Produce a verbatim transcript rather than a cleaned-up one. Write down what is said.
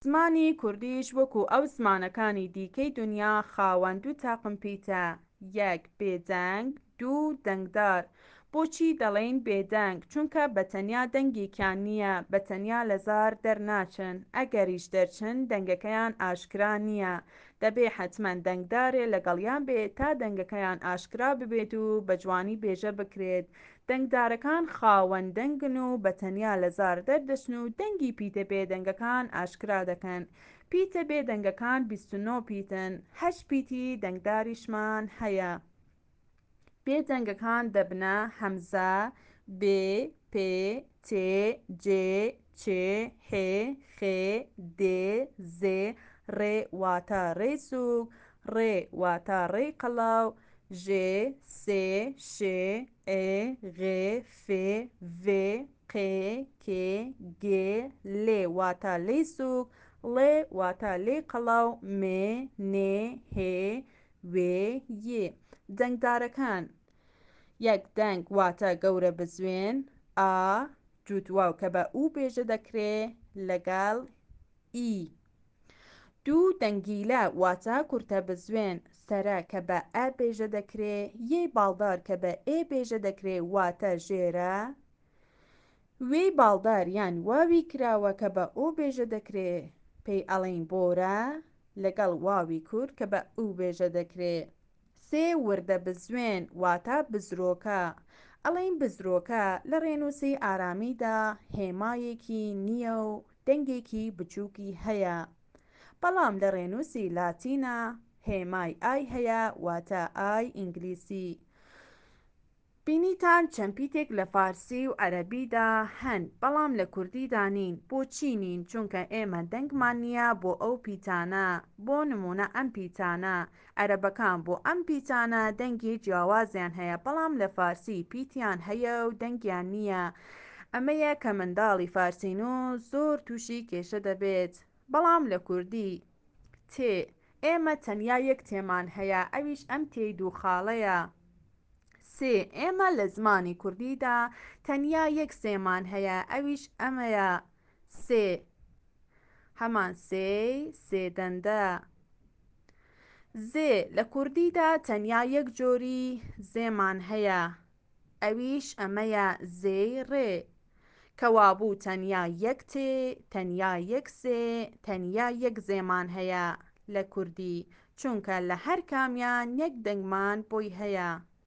زمانی کوردیش وەکو ئەو زمانەکانی دیکەی دونیا خاوەن دوو تاقم پیتە، یەک بێدەنگ، دوو دەنگدار. بۆچی دەڵێین بێدەنگ؟ چونکە بە تەنیا دەنگێکیان نییە، بە تەنیا لە زار دەرناچن، ئەگەریش دەرچن دەنگەکەیان ئاشکرا نییە، دەبێ حەتمەن دەنگدارێ لەگەڵیان بێ تا دەنگەکەیان ئاشکرا ببێت و بە جوانی بێژە بکرێت. دەنگدارەکان خاوەن دەنگن و بە تەنیا لە زار دەردەچن و دەنگی پیتە بێدەنگەکان ئاشکرا دەکەن. پیتە بێدەنگەکان بیست و نۆ پیتن، هەشت پیتی دەنگداریشمان هەیە. بێدەنگەکان دەبنە هەمزە، بێ، پێ، تێ، جێ، چێ، حێ، خێ، دێ، زێ، ڕێ واتە ڕێی سووک، ڕێ واتە ڕێی قەڵەو، ژێ، سێ، شێ، ئێ، غێ، فێ، ڤێ، قێ، کێ، گێ، لێ واتە لێی سووک، ڵێ واتە لێی قەڵەو، مێ، نێ، هێ، وێ، یێ. دەنگدارەکان یەک دەنگ واتە گەورە بزوێن، ئا، جووت واو کە بە ئو بێژە دەکرێ لەگەڵ ئی. دوو دەنگیلە واتە کورتە بزوێن، سەرە کە بە ئە بێژە دەکرێ، یەی باڵدار کە بە ئێ بێژە دەکرێ واتە ژێرە، وێی باڵدار یان واوی کراوە کە بە ئۆ بێژە دەکرێ پێی ئەڵێین بۆرە، لەگەڵ واوی کورت کە بە ئو بێژە دەکرێ. سێ وردە بزوێن واتە بزرۆکە. ئەڵێین بزرۆکە لە ڕێنووسی ئارامیدا هێمایەکی نییە و دەنگێکی بچووکی هەیە. بەڵام لە ڕێنووسی لاتینا هێمای ئای هەیە واتە ئای ئینگلیسی. بینیتان چەند پیتێک لە فارسی و عەرەبیدا هەن بەڵام لە کوردیدا نین. بۆچی نین؟ چونکە ئێمە دەنگمان نییە بۆ ئەو پیتانە. بۆ نموونە ئەم پیتانە، عەرەبەکان بۆ ئەم پیتانە دەنگی جیاوازیان هەیە بەڵام لە فارسی پیتیان هەیە و دەنگیان نییە. ئەمەیە کە منداڵی فارسینووس زۆر تووشی کێشە دەبێت. بەڵام لە کوردی تێ، ئێمە تەنیا یەک تێمان هەیە ئەویش ئەم تێی دوو خاڵەیە. سێ، ئێمە لە زمانی کوردیدا تەنیا یەک سێمان هەیە ئەویش ئەمەیە. سێ هەمان سێی سێ دەندە. زێ، لە کوردیدا تەنیا یەک جۆری زێمان هەیە ئەویش ئەمەیە زێی ڕێ. کەوابوو تەنیا یەک تێ، تەنیا یەک سێ، تەنیا یەک زێمان هەیە لە کوردی، چونکە لە هەر کامیان یەک دەنگمان بۆی هەیە.